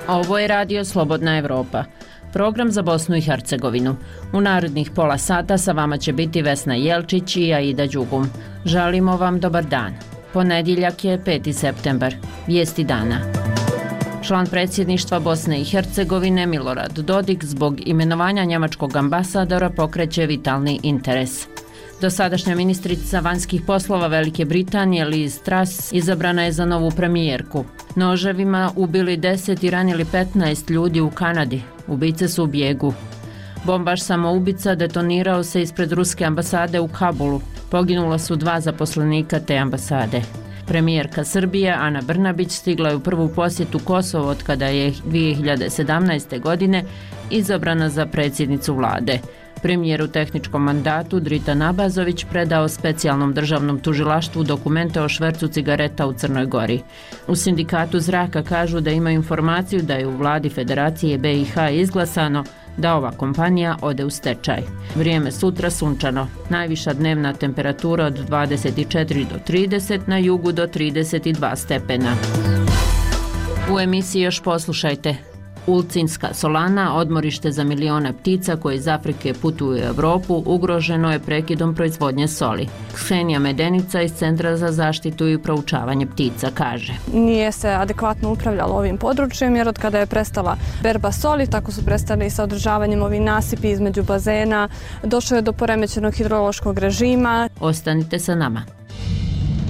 Ovo je Radio Slobodna Evropa, program za Bosnu i Hercegovinu. U narednih pola sata sa vama će biti Vesna Jelčić i Aida Đugum. Želimo vam dobar dan. Ponedjeljak je 5. septembar. Vijesti dana. Član predsjedništva Bosne i Hercegovine Milorad Dodik zbog imenovanja njemačkog ambasadora pokreće vitalni interes. Dosadašnja ministrica vanjskih poslova Velike Britanije Liz Truss izabrana je za novu premijerku. Noževima ubili 10 i ranili 15 ljudi u Kanadi. Ubice su u bijegu. Bombaš samoubica detonirao se ispred ruske ambasade u Kabulu. Poginula su 2 zaposlenika te ambasade. Premijerka Srbije Ana Brnabić stigla je u prvu posjetu Kosovo od kada je 2017. godine izabrana za predsjednicu vlade. Premijer u tehničkom mandatu Dritan Abazović predao specijalnom državnom tužilaštvu dokumente o švercu cigareta u Crnoj Gori. U sindikatu zraka kažu da imaju informaciju da je u vladi Federacije BiH izglasano da ova kompanija ode u stečaj. Vrijeme sutra sunčano. Najviša dnevna temperatura od 24 do 30, na jugu do 32 stepena. U emisiji još poslušajte. Ulcinska solana, odmorište za miliona ptica koje iz Afrike putuju u Europu, ugroženo je prekidom proizvodnje soli. Ksenija Medenica iz Centra za zaštitu i proučavanje ptica kaže: Nije se adekvatno upravljalo ovim područjem jer od kada je prestala berba soli, tako su prestali i sa održavanjem ovih nasipi između bazena, došlo je do poremećenog hidrološkog režima. Ostanite sa nama.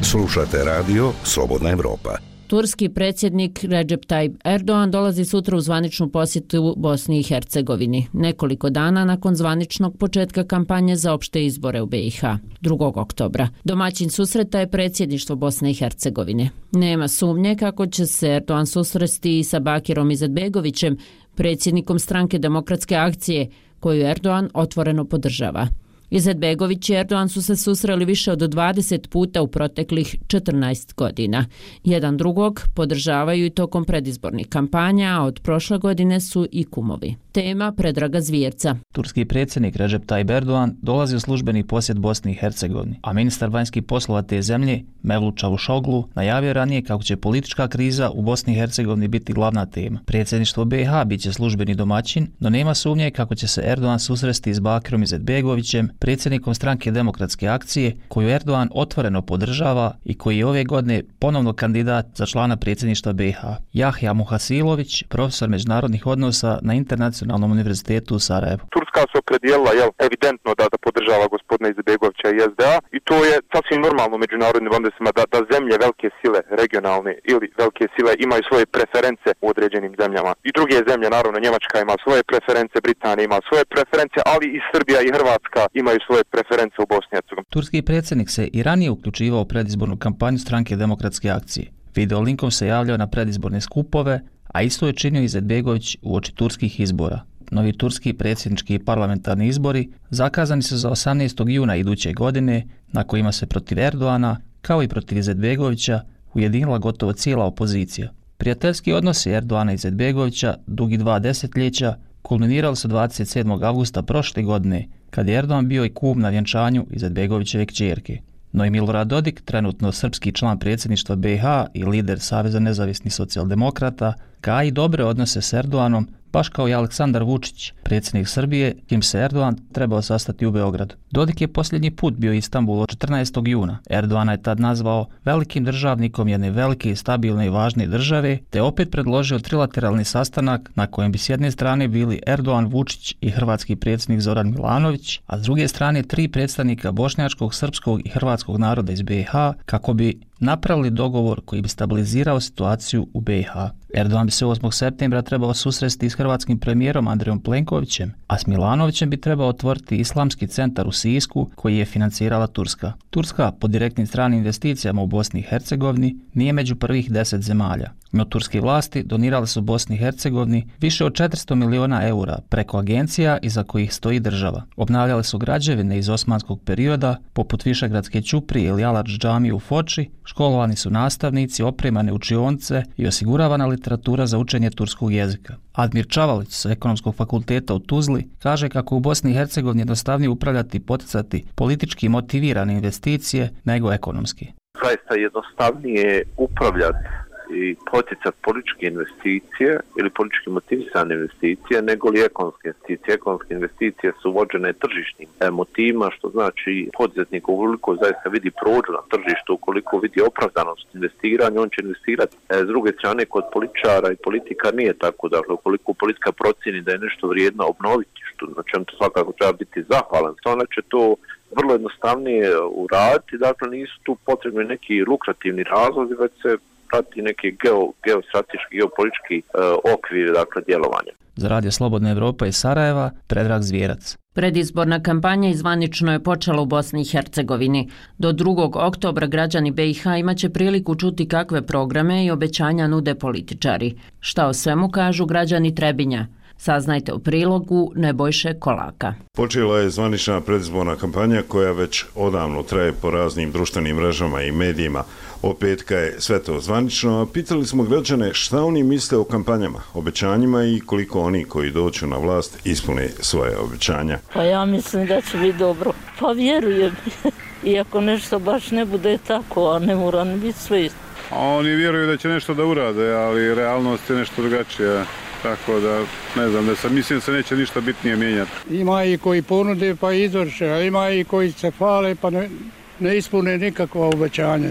Slušate radio Slobodna Evropa. Turski predsjednik Recep Tayyip Erdogan dolazi sutra u zvaničnu posjetu Bosni i Hercegovini, nekoliko dana nakon zvaničnog početka kampanje za opšte izbore u BiH, 2. oktobra. Domaćin susreta je predsjedništvo Bosne i Hercegovine. Nema sumnje kako će se Erdogan susresti i sa Bakirom Izetbegovićem, predsjednikom stranke Demokratske akcije, koju Erdogan otvoreno podržava. Izetbegović i Erdogan su se susreli više od 20 puta u proteklih 14 godina. Jedan drugog podržavaju i tokom predizbornih kampanja, a od prošle godine su i kumovi. Tema Predraga Zvjerca. Turski predsjednik Recep Tayyip Erdogan dolazi u službeni posjet Bosni i Hercegovini, a ministar vanjskih poslova te zemlje, Mevlut Čavuşoglu, najavio ranije kako će politička kriza u Bosni i Hercegovini biti glavna tema. Predsjedništvo BiH bit će službeni domaćin, no nema sumnje kako će se Erdogan susresti s Bakirom Izetbegovićem, predsjednikom stranke Demokratske akcije, koju Erdogan otvoreno podržava i koji je ove godine ponovno kandidat za člana predsjedništva BiH. Jahja Muhasilović, profesor međunarodnih odnosa na Internacionalnom univerzitetu u Sarajevu. Turska se opredijelila evidentno da podržava gospodina Izetbegovića i SDA i to je sasvim normalno u međunarodnim odnosima da zemlje velike sile, regionalne ili velike sile imaju svoje preference u određenim zemljama. I druge zemlje, naravno Njemačka ima svoje preference, Britanija ima svoje preference, ali i Srbija i Hrvatska imaju svoje preference u Bosni i Hercegovini. Turski predsjednik se i ranije uključivao u predizbornu kampanju stranke Demokratske akcije. Video linkom se javljao na predizborne skupove, a isto je činio Izetbegović uoči turskih izbora. Novi turski predsjednički i parlamentarni izbori zakazani su za 18. juna iduće godine, na kojima se protiv Erdogana, kao i protiv Izetbegovića, ujedinila gotovo cijela opozicija. Prijateljski odnosi Erdogana i Izetbegovića, dugi 2 desetljeća, kulminirali su 27. avgusta prošle godine, kad je Erdogan bio i kum na vjenčanju Izetbegovićeve kćerke. No i Milorad Dodik, trenutno srpski član predsjedništva BiH i lider Saveza nezavisnih socijaldemokrata, gaji dobre odnose s Erdoganom, baš kao i Aleksandar Vučić, predsjednik Srbije, kim se Erdogan trebao sastati u Beogradu. Dodik je posljednji put bio u Istanbulu 14. juna. Erdogan je tad nazvao velikim državnikom jedne velike, stabilne i važne države, te opet predložio trilateralni sastanak na kojem bi s jedne strane bili Erdogan, Vučić i hrvatski predsjednik Zoran Milanović, a s druge strane 3 predstavnika bošnjačkog, srpskog i hrvatskog naroda iz BiH, kako bi napravili dogovor koji bi stabilizirao situaciju u BiH. Erdogan bi se 8. septembra trebao susresti s hrvatskim premijerom Andrejom Plenkovićem, a s Milanovićem bi trebao otvoriti islamski centar u Sisku koji je financirala Turska. Turska po direktnim stranim investicijama u Bosni i Hercegovini nije među prvih 10 zemalja. No turske vlasti donirale su Bosni i Hercegovini više od 400 miliona eura preko agencija iza kojih stoji država. Obnavljale su građevine iz osmanskog perioda, poput Višegradske ćuprije ili Aladž džamije u Foči, školovani su nastavnici, opremane učionice i osiguravana literatura za učenje turskog jezika. Admir Čavalić sa Ekonomskog fakulteta u Tuzli kaže kako u Bosni i Hercegovini jednostavnije upravljati i poticati politički motivirane investicije nego ekonomski. Zaista jednostavnije upravljati i poticati političke investicije ili politički motivisane investicije nego li ekonomske investicije. Ekonomske investicije su vođene tržišnim motivima, što znači poduzetnik ukoliko zaista vidi prođu na tržištu, ukoliko vidi opravdanost investiranja, on će investirati. S druge strane, kod političara i politika nije tako. Dakle, ukoliko politika procjeni da je nešto vrijedno obnoviti, na čemu to svakako treba biti zahvalan, onda će to vrlo jednostavnije uraditi, dakle nisu tu potrebni neki lukrativni razlozi, već se prati neki geostrateški, geopolitički okvir, dakle, djelovanja. Za Radio Slobodna Evropa iz Sarajeva, Predrag Zvijerac. Predizborna kampanja zvanično je počela u Bosni i Hercegovini. Do 2. oktobra građani BiH imaće priliku čuti kakve programe i obećanja nude političari. Šta o svemu kažu građani Trebinja? Saznajte u prilogu Nebojše Kolaka. Počela je zvanična predizborna kampanja koja već odavno traje po raznim društvenim mrežama i medijima. Od petka je sve to zvanično, a pitali smo građane šta oni misle o kampanjama, obećanjima i koliko oni koji dođu na vlast ispune svoje obećanja. Pa ja mislim da će biti dobro. Pa vjerujem. Iako nešto baš ne bude tako, a ne mora ni biti sve. Oni vjeruju da će nešto da urade, ali realnost je nešto drugačija. Tako da, ne znam, mislim da se neće ništa bitnije mijenjati. Ima i koji ponude pa izvrše, a ima i koji se hvale pa ne ispune nikakva obećanja.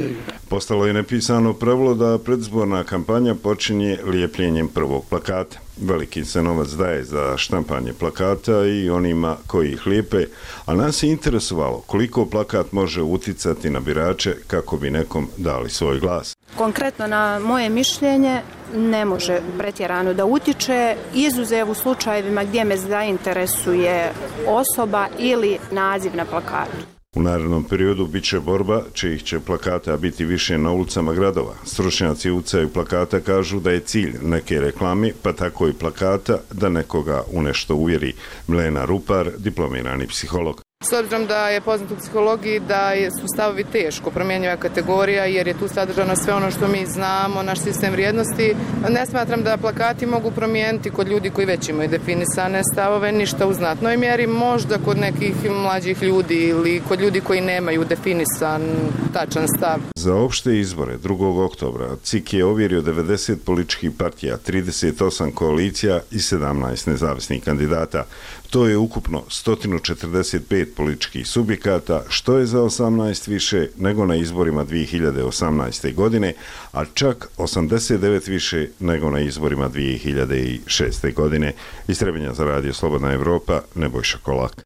Postalo je nepisano pravilo da predizborna kampanja počinje lijepljenjem prvog plakata. Veliki se novac daje za štampanje plakata i onima koji ih lijepe, a nas je interesovalo koliko plakat može uticati na birače kako bi nekom dali svoj glas. Konkretno na moje mišljenje ne može pretjerano da utiče, izuzev u slučajevima gdje me zainteresuje osoba ili naziv na plakatu. U narednom periodu bit će borba, čijih će plakata biti više na ulicama gradova. Stručnjaci ucaju plakata kažu da je cilj neke reklame, pa tako i plakata, da nekoga u nešto uvjeri. Milena Rupar, diplomirani psiholog. S obzirom da je poznato u psihologiji da su stavovi teško promjenjiva kategorija jer je tu sadržano sve ono što mi znamo, naš sistem vrijednosti. Ne smatram da plakati mogu promijeniti kod ljudi koji već imaju definisane stavove ništa u znatnoj mjeri, možda kod nekih mlađih ljudi ili kod ljudi koji nemaju definisan tačan stav. Za opšte izbore 2. oktobra CIK je ovjerio 90 političkih partija, 38 koalicija i 17 nezavisnih kandidata. To je ukupno 145 političkih subjekata, što je za 18 više nego na izborima 2018. godine, a čak 89 više nego na izborima 2006. godine. Iz Trebinja za Radio Slobodna Evropa, Nebojša Kolak.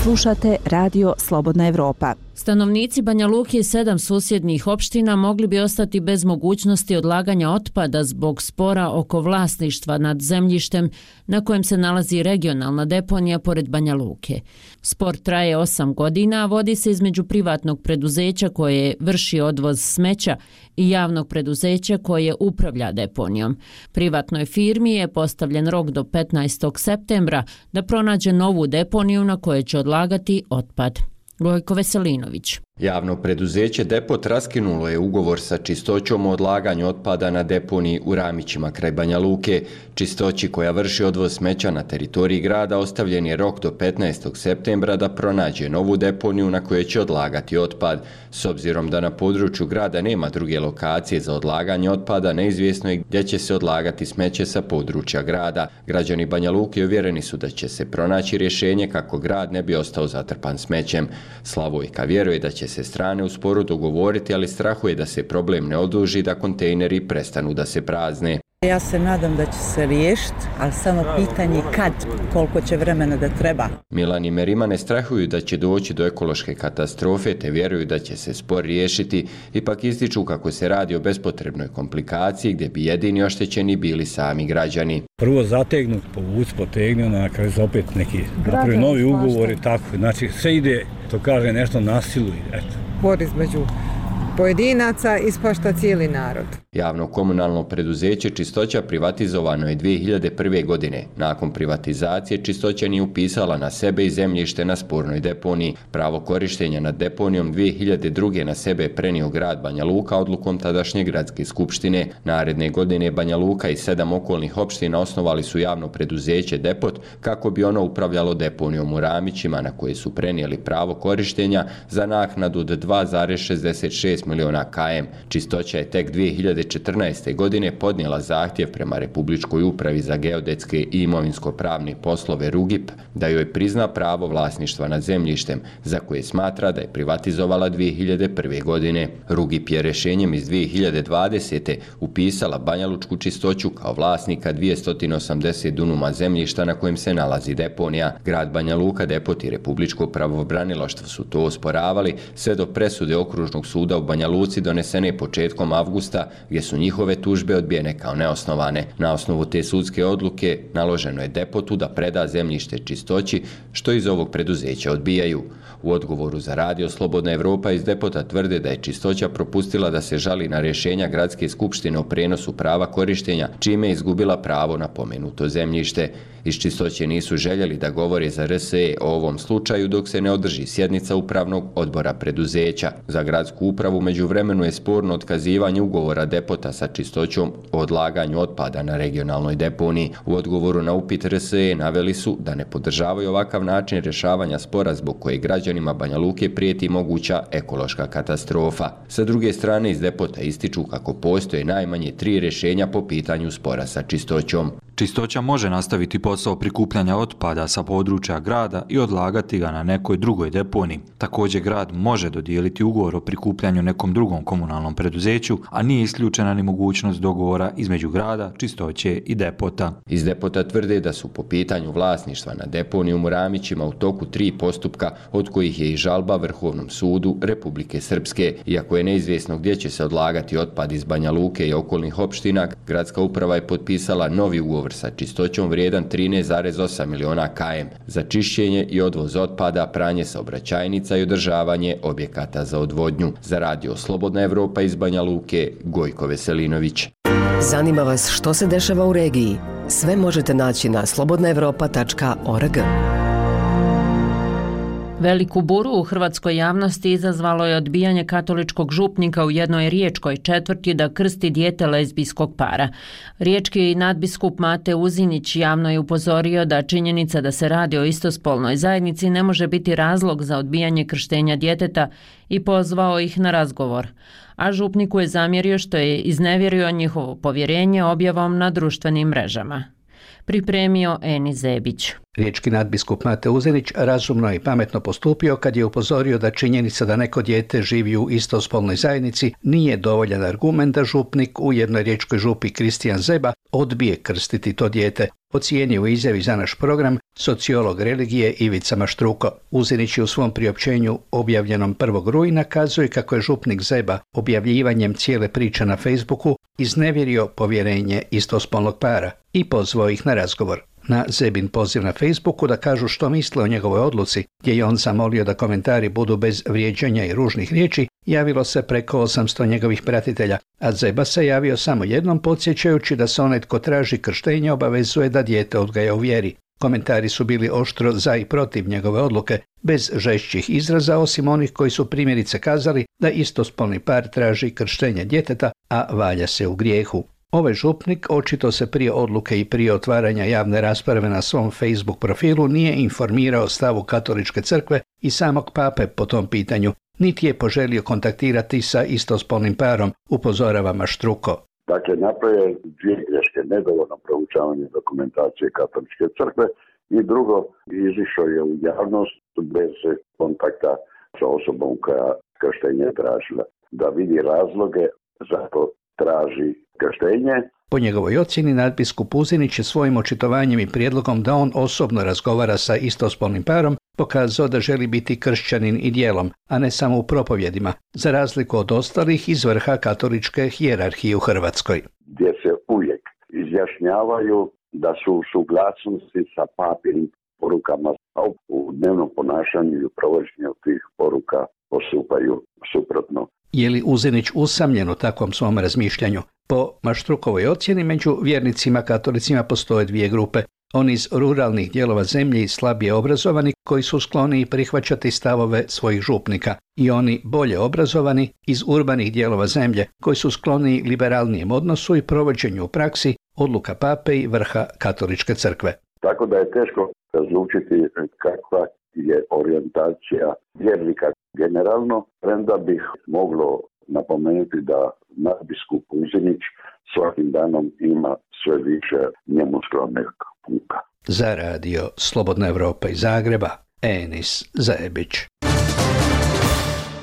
Slušate Radio Slobodna Evropa. Stanovnici Banja Luke i 7 susjednih opština mogli bi ostati bez mogućnosti odlaganja otpada zbog spora oko vlasništva nad zemljištem na kojem se nalazi regionalna deponija pored Banja Luke. Spor traje 8 godina, a vodi se između privatnog preduzeća koje vrši odvoz smeća i javnog preduzeća koje upravlja deponijom. Privatnoj firmi je postavljen rok do 15. septembra da pronađe novu deponiju na kojoj će odlagati otpad. Gojko Veselinović. Javno preduzeće Depot raskinulo je ugovor sa Čistoćom o odlaganju otpada na deponiji u Ramićima kraj Banja Luke. Čistoći koja vrši odvoz smeća na teritoriji grada ostavljen je rok do 15. septembra da pronađe novu deponiju na kojoj će odlagati otpad. S obzirom da na području grada nema druge lokacije za odlaganje otpada, neizvjesno je gdje će se odlagati smeće sa područja grada. Građani Banja Luke uvjereni su da će se pronaći rješenje kako grad ne bi ostao zatrpan smećem. Slavojka vjeruje da će se strane u sporu dogovoriti, ali strahuje da se problem ne oduži, da kontejneri prestanu da se prazne. Ja se nadam da će se riješiti, ali samo pitanje kad, koliko će vremena da treba. Milan i Merima ne strahuju da će doći do ekološke katastrofe, te vjeruju da će se spor riješiti, ipak ističu kako se radi o bespotrebnoj komplikaciji gdje bi jedini oštećeni bili sami građani. Prvo zategnut, potegni, na kraju se opet neki napravi novi ugovor i tako. Znači sve ide, to kaže nešto nasilu. Spor između pojedinaca ispašta cijeli narod. Javno komunalno preduzeće Čistoća privatizovano je 2001. godine. Nakon privatizacije Čistoća nije upisala na sebe i zemljište na spornoj deponiji. Pravo korištenja nad deponijom 2002. na sebe prenio grad Banja Luka odlukom tadašnje gradske skupštine. Naredne godine Banja Luka i 7 okolnih opština osnovali su javno preduzeće Depot kako bi ono upravljalo deponijom u Ramićima na koje su prenijeli pravo korištenja za naknadu od 2,66 miliona km. Čistoća je tek 2004. 2014. godine podnijela zahtjev prema Republičkoj upravi za geodetske i imovinsko-pravne poslove RUGIP da joj prizna pravo vlasništva nad zemljištem za koje smatra da je privatizovala 2001. godine. RUGIP je rješenjem iz 2020. upisala Banja Lučku Čistoću kao vlasnika 280 dunuma zemljišta na kojem se nalazi deponija. Grad Banja Luka, Depot i Republičko pravobranilaštvo su to osporavali sve do presude Okružnog suda u Banja Luci donesene početkom avgusta, gdje su njihove tužbe odbijene kao neosnovane. Na osnovu te sudske odluke naloženo je Depotu da preda zemljište Čistoći, što iz ovog preduzeća odbijaju. U odgovoru za Radio Slobodna Evropa iz Depota tvrde da je Čistoća propustila da se žali na rješenja Gradske skupštine o prenosu prava korištenja, čime je izgubila pravo na pomenuto zemljište. Iz Čistoće nisu željeli da govore za RSE o ovom slučaju dok se ne održi sjednica upravnog odbora preduzeća. Za gradsku upravu međuvremenu je sporno otkazivanje ugovora Depota sa Čistoćom o odlaganju otpada na regionalnoj deponiji. U odgovoru na upit RSE naveli su da ne podržavaju ovakav način rješavanja spora zbog koje građanima Banja Luke prijeti moguća ekološka katastrofa. Sa druge strane iz Depota ističu kako postoje najmanje 3 rješenja po pitanju spora sa Čistoćom. Čistoća može nastaviti posao prikupljanja otpada sa područja grada i odlagati ga na nekoj drugoj deponiji. Također grad može dodijeliti ugovor o prikupljanju nekom drugom komunalnom preduzeću, a nije isključena ni mogućnost dogovora između grada, Čistoće i Depota. Iz Depota tvrde da su po pitanju vlasništva na deponiju u Muramićima u toku 3 postupka, od kojih je i žalba Vrhovnom sudu Republike Srpske. Iako je neizvjesno gdje će se odlagati otpad iz Banja Luke i okolnih opština, gradska uprava je potpisala novi ugovor sa Čistoćom vrijedan 13,8 miliona km za čišćenje i odvoz otpada, pranje saobraćajnica i održavanje objekata za odvodnju. Za Radio Slobodna Evropa iz Banja Luke, Gojko Veselinović. Zanima vas što se dešava u regiji? Sve možete naći na slobodnaevropa.org. Veliku buru u hrvatskoj javnosti izazvalo je odbijanje katoličkog župnika u jednoj riječkoj četvrti da krsti dijete lezbijskog para. Riječki nadbiskup Mate Uzinić javno je upozorio da činjenica da se radi o istospolnoj zajednici ne može biti razlog za odbijanje krštenja djeteta i pozvao ih na razgovor. A župniku je zamjerio što je iznevjerio njihovo povjerenje objavom na društvenim mrežama. Pripremio Eni Zebić. Riječki nadbiskup Mate Uzinić razumno i pametno postupio kad je upozorio da činjenica da neko dijete živi u istospolnoj zajednici nije dovoljan argument da župnik u jednoj riječkoj župi Kristijan Zeba odbije krstiti to dijete. Ocijenio u izjavi za naš program sociolog religije Ivica Maštruko. Uzinić je u svom priopćenju objavljenom 1. rujna kazuje kako je župnik Zeba objavljivanjem cijele priče na Facebooku iznevjerio povjerenje istospolnog para i pozvao ih na razgovor. Na Zebin poziv na Facebooku da kažu što misle o njegovoj odluci, gdje je on zamolio da komentari budu bez vrijeđanja i ružnih riječi, javilo se preko 800 njegovih pratitelja, a Zeba se javio samo jednom podsjećajući da se onaj tko traži krštenje obavezuje da dijete odgaja u vjeri. Komentari su bili oštro za i protiv njegove odluke, bez žešćih izraza osim onih koji su primjerice kazali da istospolni par traži krštenje djeteta, a valja se u grijehu. Ovaj župnik očito se prije odluke i prije otvaranja javne rasprave na svom Facebook profilu nije informirao o stavu katoličke crkve i samog pape po tom pitanju, niti je poželio kontaktirati sa istospolnim parom, upozorava Maštruko. Dakle, napravio 2 greške, nedovoljno proučavanje dokumentacije katoličke crkve i drugo, izišao je u javnost bez kontakta sa osobom koja krštenje tražila. Da vidi razloge zato traži krštenje. Po njegovoj ocjeni nadbiskup Uzinić je svojim očitovanjem i prijedlogom da on osobno razgovara sa istospolnim parom pokazao da želi biti kršćanin i djelom, a ne samo u propovjedima, za razliku od ostalih iz vrha katoličke hijerarhije u Hrvatskoj. Gdje se uvijek izjašnjavaju da su u suglasnosti sa papinim porukama, a u dnevnom ponašanju i u provođenju tih poruka postupaju suprotno. Je li Uzinić usamljen u takvom svom razmišljanju? Po Maštrukovoj ocjeni među vjernicima katolicima postoje 2 grupe. Oni iz ruralnih dijelova zemlje i slabije obrazovani koji su skloni prihvaćati stavove svojih župnika i oni bolje obrazovani iz urbanih dijelova zemlje koji su skloni liberalnijem odnosu i provođenju u praksi odluka pape i vrha katoličke crkve. Tako da je teško razlučiti kakva je orijentacija vjernika generalno, premda bih moglo napomenuti da nadbiskup Uzinić svakim danom ima sve više njemu skromnih puka. Za radio Slobodna Evropa iz Zagreba, Enis Zajebić.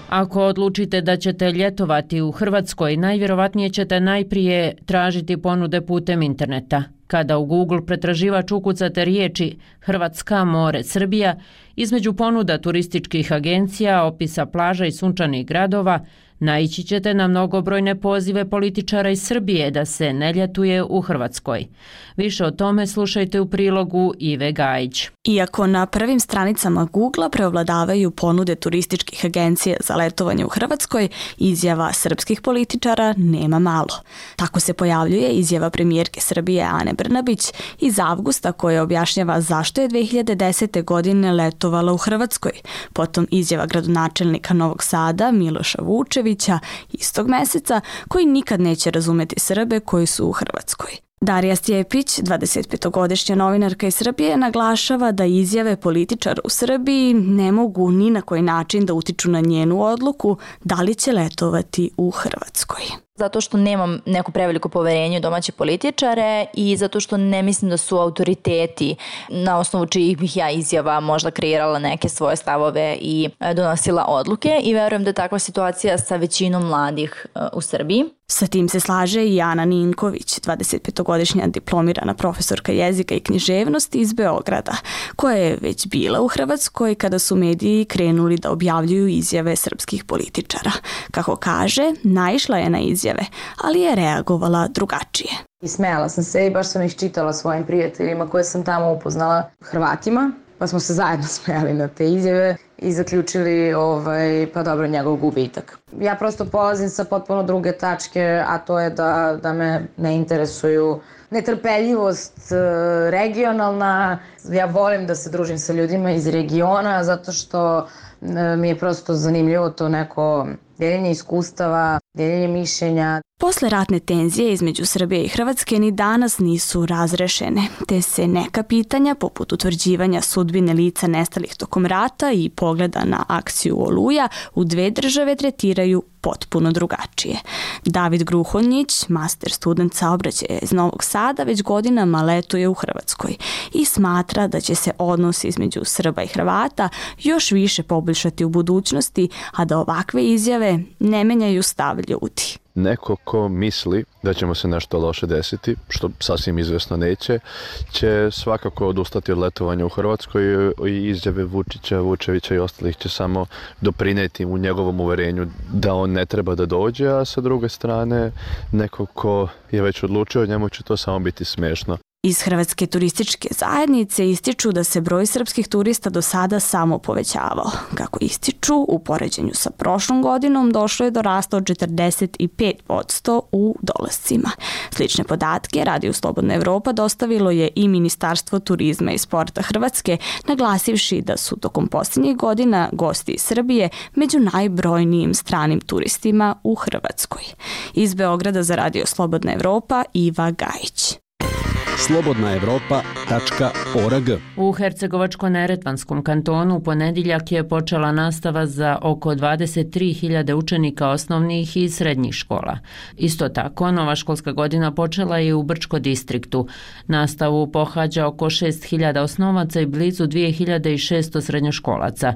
Ako odlučite da ćete ljetovati u Hrvatskoj, najvjerovatnije ćete najprije tražiti ponude putem interneta. Kada u Google pretraživač ukucate riječi Hrvatska, more, Srbija, između ponuda turističkih agencija, opisa plaža i sunčanih gradova, naići ćete na mnogobrojne pozive političara iz Srbije da se ne ljetuje u Hrvatskoj. Više o tome slušajte u prilogu Ive Gajić. Iako na prvim stranicama Google preovladavaju ponude turističkih agencija za letovanje u Hrvatskoj, izjava srpskih političara nema malo. Tako se pojavljuje izjava premijerke Srbije Ane Brnabić iz avgusta koja objašnjava zašto je 2010. godine letovala u Hrvatskoj. Potom izjava gradonačelnika Novog Sada Miloša Vučevića istog meseca koji nikad neće razumeti Srbe koji su u Hrvatskoj. Darija Stjepić, 25-godišnja novinarka iz Srbije, naglašava da izjave političara u Srbiji ne mogu ni na koji način da utiču na njenu odluku da li će letovati u Hrvatskoj. Zato što nemam neko preveliko poverenje u domaće političare i zato što ne mislim da su autoriteti na osnovu čijih bih ja izjava možda kreirala neke svoje stavove i donosila odluke i verujem da je takva situacija sa većinom mladih u Srbiji. Sa tim se slaže i Ana Ninković, 25-godišnja diplomirana profesorka jezika i književnosti iz Beograda, koja je već bila u Hrvatskoj kada su mediji krenuli da objavljuju izjave srpskih političara. Kako kaže, naišla je na izjave, ali je reagovala drugačije. I smejala sam se i baš sam ih čitala svojim prijateljima koje sam tamo upoznala, Hrvatima, pa smo se zajedno smejali na te izjave i zaključili pa dobro, njegov gubitak. Ja prosto polazim sa potpuno druge tačke, a to je da me ne interesuju netrpeljivost regionalna. Ja volim da se družim sa ljudima iz regiona zato što mi je prosto zanimljivo to neko deljenje iskustava, deljenje mišljenja. Posle ratne tenzije između Srbije i Hrvatske ni danas nisu razrešene, te se neka pitanja poput utvrđivanja sudbine lica nestalih tokom rata i pogleda na akciju Oluja u dve države tretiraju potpuno drugačije. David Gruhonjić, master student saobraćaja iz Novog Sada, već godinama letuje u Hrvatskoj i smatra da će se odnos između Srba i Hrvata još više poboljšati u budućnosti, a da ovakve izjave ne menjaju stav ljudi. Neko ko misli da će mu se nešto loše desiti, što sasvim izvjesno neće, će svakako odustati od letovanja u Hrvatskoj i izjave Vučića, Vučevića i ostalih će samo doprinijeti u njegovom uverenju da on ne treba da dođe, a sa druge strane neko ko je već odlučio, njemu će to samo biti smiješno. Iz Hrvatske turističke zajednice ističu da se broj srpskih turista do sada samo povećavao. Kako ističu, u poređenju sa prošlom godinom došlo je do rasta od 45% u dolascima. Slične podatke Radio Slobodna Evropa dostavilo je i Ministarstvo turizma i sporta Hrvatske, naglasivši da su tokom posljednjih godina gosti iz Srbije među najbrojnijim stranim turistima u Hrvatskoj. Iz Beograda za Radio Slobodna Evropa, Iva Gajić. slobodnaevropa.org. U Hercegovačko-neretvanskom kantonu u ponedjeljak je počela nastava za oko 23.000 učenika osnovnih i srednjih škola. Isto tako, nova školska godina počela je u Brčko distriktu. Nastavu pohađa oko 6.000 osnovaca i blizu 2.600 srednjoškolaca.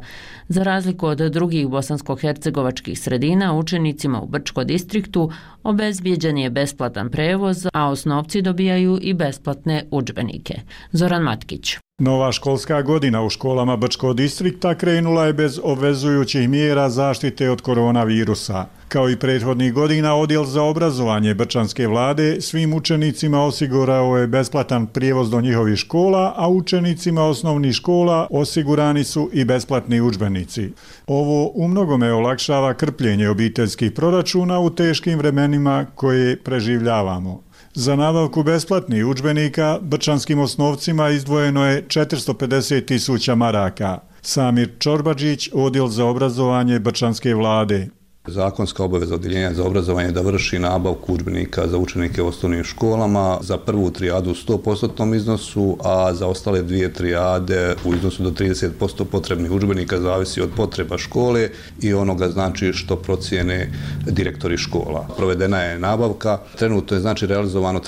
Za razliku od drugih bosansko-hercegovačkih sredina, učenicima u Brčko distriktu obezbijeđen je besplatan prevoz, a osnovci dobijaju i besplatne udžbenike. Zoran Matkić. Nova školska godina u školama Brčko distrikta krenula je bez obvezujućih mjera zaštite od koronavirusa. Kao i prethodnih godina, Odjel za obrazovanje Brčanske vlade svim učenicima osigurao je besplatan prijevoz do njihovih škola, a učenicima osnovnih škola osigurani su i besplatni udžbenici. Ovo umnogome olakšava krpljenje obiteljskih proračuna u teškim vremenima koje preživljavamo. Za nabavku besplatnih udžbenika brčanskim osnovcima izdvojeno je 450.000 maraka. Samir Čorbađić, Odjel za obrazovanje Brčanske vlade. Zakonska obaveza Odjeljenja za obrazovanje da vrši nabavku udžbenika za učenike u osnovnim školama za prvu trijadu u 100% iznosu, a za ostale dvije trijade u iznosu do 30% potrebnih udžbenika zavisi od potreba škole i onoga znači što procijene direktori škola. Provedena je nabavka, trenutno je znači realizovano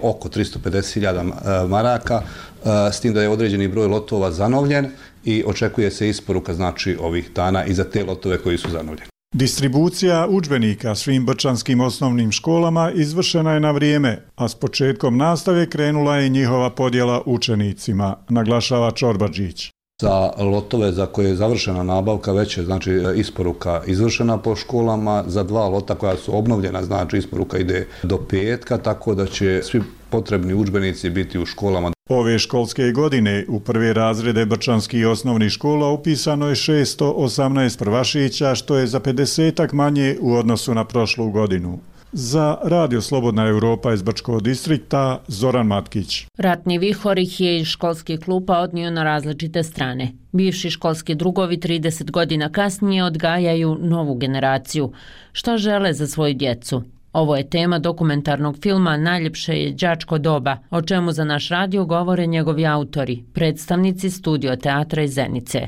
oko 350.000 maraka, s tim da je određeni broj lotova zanovljen i očekuje se isporuka znači ovih dana i za te lotove koji su zanovljeni. Distribucija udžbenika svim brčanskim osnovnim školama izvršena je na vrijeme, a s početkom nastave krenula je njihova podjela učenicima, naglašava Čorbadžić. Za lotove za koje je završena nabavka već je znači isporuka izvršena po školama, za 2 lota koja su obnovljena znači isporuka ide do petka, tako da će svi potrebni udžbenici biti u školama. Ove školske godine u prve razrede brčanskih osnovnih škola upisano je 618 prvašića, što je za 50-ak manje u odnosu na prošlu godinu. Za Radio Slobodna Europa iz Brčkog distrikta, Zoran Matkić. Ratni vihor ih je iz školskih klupa odnio na različite strane. Bivši školski drugovi 30 godina kasnije odgajaju novu generaciju. Šta žele za svoju djecu? Ovo je tema dokumentarnog filma Najljepše je đačko doba, o čemu za naš radio govore njegovi autori, predstavnici Studio teatra iz Zenice.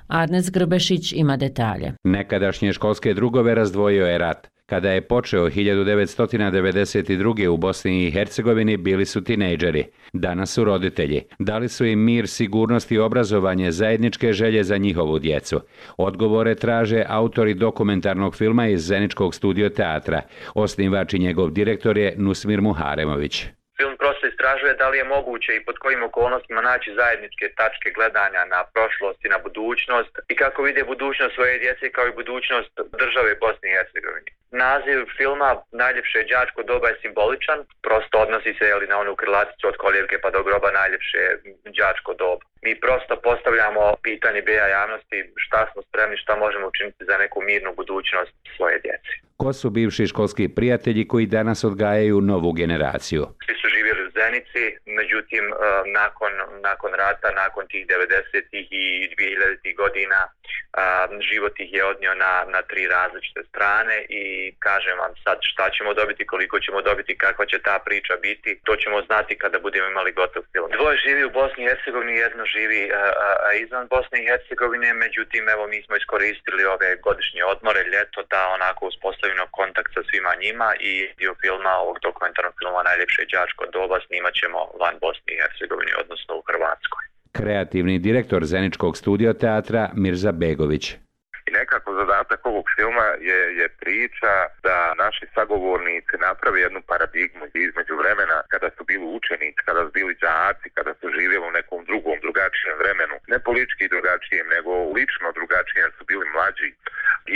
Arnes Grbešić ima detalje. Nekadašnje školske drugove razdvojio je rat. Kada je počeo 1992. u Bosni i Hercegovini bili su tinejdžeri. Danas su roditelji. Dali su im mir, sigurnost i obrazovanje, zajedničke želje za njihovu djecu. Odgovore traže autori dokumentarnog filma iz Zeničkog studio teatra. Osnivač i njegov direktor je Nusmir Muharemović. Film prosto istražuje da li je moguće i pod kojim okolnostima naći zajedničke tačke gledanja na prošlost i na budućnost i kako vide budućnost svoje djece kao i budućnost države Bosne i Hercegovine. Naziv filma Najljepše đačko doba je simboličan, prosto odnosi se na onu krilaticu od kolijevke pa do groba najljepše đačko doba. Mi prosto postavljamo pitanje beja javnosti šta smo spremni, šta možemo učiniti za neku mirnu budućnost svoje djece. Ko su bivši školski prijatelji koji danas odgajaju novu generaciju? Svi su živjeli u Zenici, međutim nakon rata, nakon tih 90-ih i 2000-ih godina život ih je odnio na 3 različite strane i kažem vam sad šta ćemo dobiti, koliko ćemo dobiti, kakva će ta priča biti, to ćemo znati kada budemo imali gotov film. Dvoje živi u Bosni i Hercegovini, jedno živi izvan Bosne i Hercegovine, međutim evo mi smo iskoristili ove godišnje odmore, ljeto da onako uspostavimo kontakt sa svima njima i dio filma, ovog dokumentarnog filma Najljepše đačko doba snimat ćemo van Bosne i Hercegovine, odnosno u Hrvatskoj. Kreativni direktor Zeničkog studio teatra Mirza Begović. I nekako zadatak ovog filma je priča da naši sagovornici naprave jednu paradigmu između vremena kada su bili učenici, kada su bili đaci, kada su živjeli u nekom drugom, drugačijem vremenu. Ne politički drugačijem, nego lično drugačijem, su bili mlađi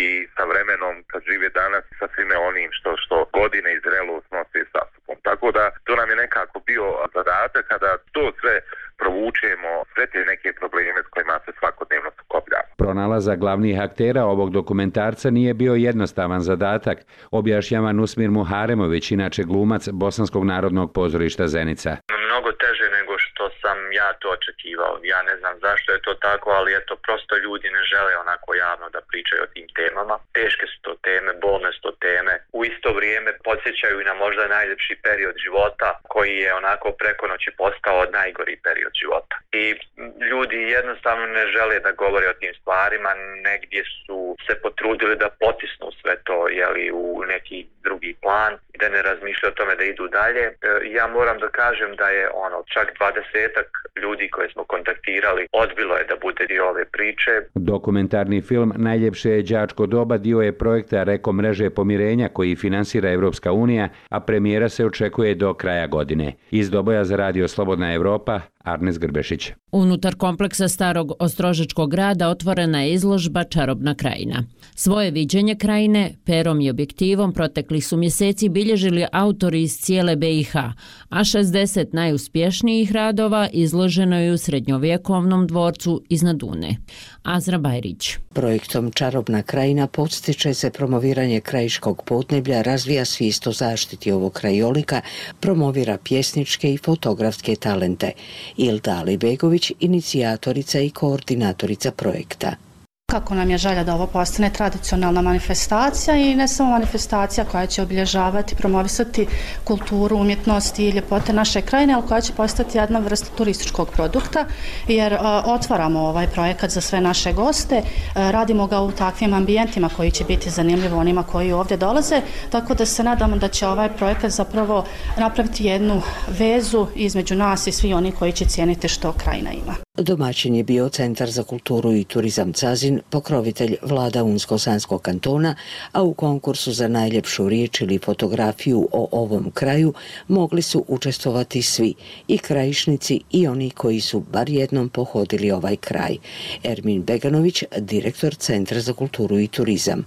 i sa vremenom kad žive danas sa svime onim što godine i zrelost nose sa sobom. Tako da to nam je nekako bio zadatak kada to sve provučemo, sve te neke probleme s kojima se svakodnevno sukobljamo. Pronalazak glavnih aktera ovog dokumentarca nije bio jednostavan zadatak, objašnjava Nusmir Muharemović, inače glumac Bosanskog narodnog pozorišta Zenica. Mnogo teže nego što sam ja to očekivao. Ja ne znam zašto je to tako, ali eto, prosto ljudi ne žele onako javno da pričaju o tim temama. Teške su to teme, bolne su to teme. U isto vrijeme podsjećaju i na možda najljepši period života koji je onako preko noći postao najgori period života. I ljudi jednostavno ne žele da govore o tim stvarima, negdje su se potrudili da potisnu sve to u neki drugi plan i da ne razmišljaju o tome da idu dalje. Ja moram da kažem da je čak 20-ak ljudi koje smo kontaktirali odbilo je da bude dio ove priče. Dokumentarni film Najljepše je đačko doba dio je projekta Reko mreže pomirenja koji finansira Evropska unija, a premijera se očekuje do kraja godine. Iz Doboja za Radio Slobodna Europa, Arnes Grbešić. Unutar kompleksa starog Ostrožačkog grada otvorena je izložba Čarobna krajina. Svoje viđenje krajine perom i objektivom protekli su mjeseci bilježili autori iz cijele BiH, a 60 najuspješnijih radova izloženo je u srednjovjekovnom dvorcu iznad Une. Azra Bajrić. Projektom Čarobna krajina podstiče se promoviranje krajiškog podneblja, razvija svijest o zaštiti ovog krajolika, promovira pjesničke i fotografske talente. Ilda Alibegović, inicijatorica i koordinatorica projekta. Kako nam je želja da ovo postane tradicionalna manifestacija i ne samo manifestacija koja će obilježavati, promovisati kulturu, umjetnost i ljepote naše krajine, ali koja će postati jedna vrsta turističkog produkta, jer otvaramo ovaj projekat za sve naše goste, radimo ga u takvim ambijentima koji će biti zanimljivi onima koji ovdje dolaze, tako da se nadamo da će ovaj projekat zapravo napraviti jednu vezu između nas i svi oni koji će cijeniti što krajina ima. Domaćin je bio Centar za kulturu i turizam Cazin, pokrovitelj vlada Unsko-Sanskog kantona, a u konkursu za najljepšu riječ ili fotografiju o ovom kraju mogli su učestvovati svi, i krajišnici i oni koji su bar jednom pohodili ovaj kraj. Ermin Beganović, direktor Centra za kulturu i turizam.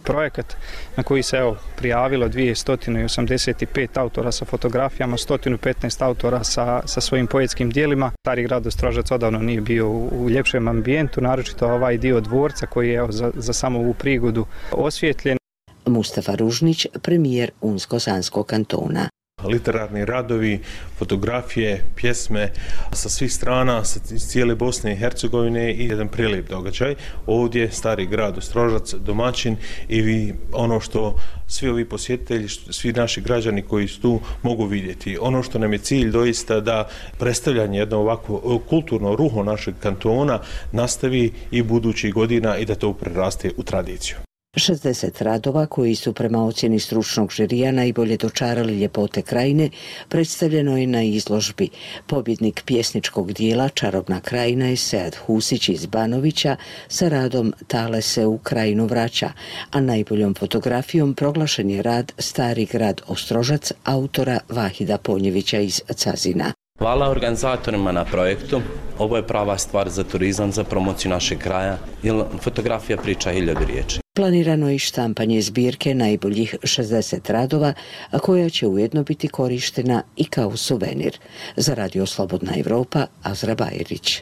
Projekat na koji se prijavilo 285 autora sa fotografijama, 115 autora sa svojim poetskim dijelima. Stari grad Ostrožac odavno nije bio u ljepšem ambijentu, naročito ovaj dio dvorca koji je za samo ovu prigodu osvjetljen. Mustafa Ružnić, premijer Unsko-Sanskog kantona. Literarni radovi, fotografije, pjesme sa svih strana, sa cijele Bosne i Hercegovine i jedan prelijep događaj. Ovdje Stari grad Ostrožac, domaćin i ono što svi ovi posjetitelji, svi naši građani koji su tu mogu vidjeti. Ono što nam je cilj doista da predstavljanje jedno ovako kulturno ruho našeg kantona nastavi i budućih godina i da to preraste u tradiciju. 60 radova koji su prema ocjeni stručnog žirija najbolje dočarali ljepote krajine predstavljeno je na izložbi. Pobjednik pjesničkog dijela Čarobna krajina je Sead Husić iz Banovića sa radom Tale se u krajinu vraća, a najboljom fotografijom proglašen je rad Stari grad Ostrožac autora Vahida Ponjevića iz Cazina. Hvala organizatorima na projektu. Ovo je prava stvar za turizam, za promociju našeg kraja, jer fotografija priča 1000 riječi. Planirano je i štampanje zbirke najboljih 60 radova, a koja će ujedno biti korištena i kao suvenir. Za Radio Slobodna Evropa, Azra Bajerić.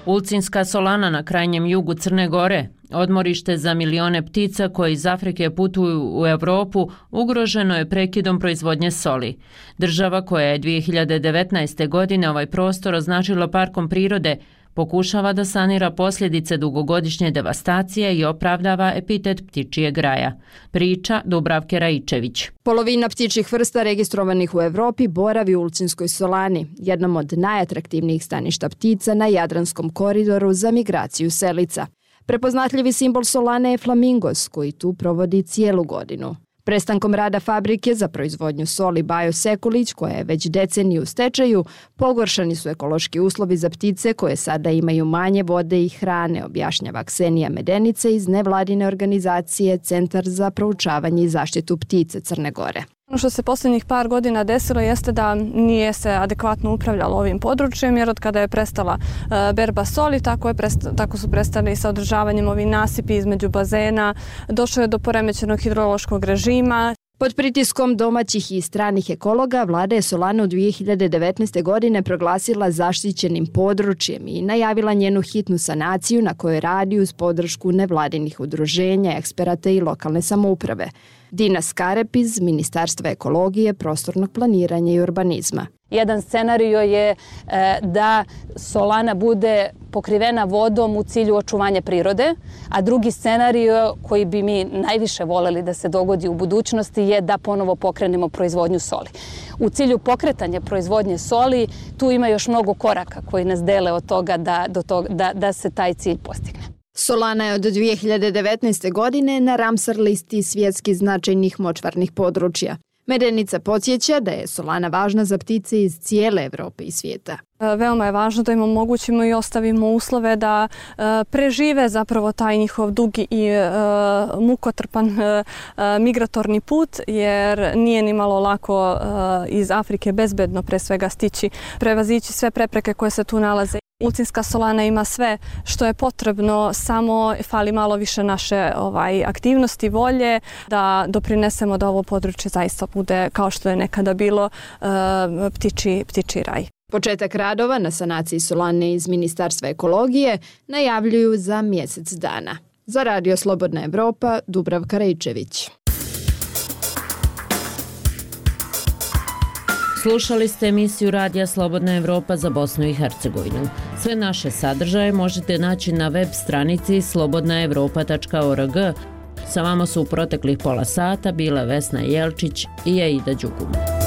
Ulcinska solana na krajnjem jugu Crne Gore, odmorište za milione ptica koji iz Afrike putuju u Europu, ugroženo je prekidom proizvodnje soli. Država koja je 2019. godine ovaj prostor označila parkom prirode, pokušava da sanira posljedice dugogodišnje devastacije i opravdava epitet ptičijeg raja. Priča Dubravke Raičević. Polovina ptičjih vrsta registrovanih u Evropi boravi u Ulcinskoj solani, jednom od najatraktivnijih staništa ptica na Jadranskom koridoru za migraciju selica. Prepoznatljivi simbol solane je flamingos, koji tu provodi cijelu godinu. Prestankom rada fabrike za proizvodnju soli Bajo Sekulić, koja je već deceniju u stečaju, pogoršani su ekološki uslovi za ptice koje sada imaju manje vode i hrane, objašnjava Ksenija Medenice iz nevladine organizacije Centar za proučavanje i zaštitu ptice Crne Gore. Ono što se posljednjih par godina desilo jeste da nije se adekvatno upravljalo ovim područjem, jer od kada je prestala berba soli, tako su prestali sa održavanjem ovih nasipi između bazena, došlo je do poremećenog hidrološkog režima. Pod pritiskom domaćih i stranih ekologa, vlada je solanu 2019. godine proglasila zaštićenim područjem i najavila njenu hitnu sanaciju na kojoj radi uz podršku nevladinih udruženja, eksperata i lokalne samouprave. Dina Skarep iz Ministarstva ekologije, prostornog planiranja i urbanizma. Jedan scenario je da solana bude pokrivena vodom u cilju očuvanja prirode, a drugi scenario koji bi mi najviše voljeli da se dogodi u budućnosti je da ponovo pokrenemo proizvodnju soli. U cilju pokretanja proizvodnje soli tu ima još mnogo koraka koji nas dele od toga da se taj cilj postigne. Solana je od 2019. godine na Ramsar listi svjetski značajnih močvarnih područja. Medenica podsjeća da je solana važna za ptice iz cijele Evrope i svijeta. Veoma je važno da im omogućimo i ostavimo uslove da prežive zapravo taj njihov dugi i mukotrpan migratorni put, jer nije ni malo lako iz Afrike bezbedno pre svega stići, prevazići sve prepreke koje se tu nalaze. Ulcinska solana ima sve što je potrebno, samo fali malo više naše aktivnosti, volje doprinesemo da ovo područje zaista bude, kao što je nekada bilo, ptičji raj. Početak radova na sanaciji solane iz Ministarstva ekologije najavljuju za mjesec dana. Za Radio Slobodna Evropa, Dubravka Raičević. Slušali ste emisiju Radija Slobodna Evropa za Bosnu i Hercegovinu. Sve naše sadržaje možete naći na web stranici slobodnaevropa.org. Sa vama su u proteklih pola sata bile Vesna Jelčić i Aida Đugum.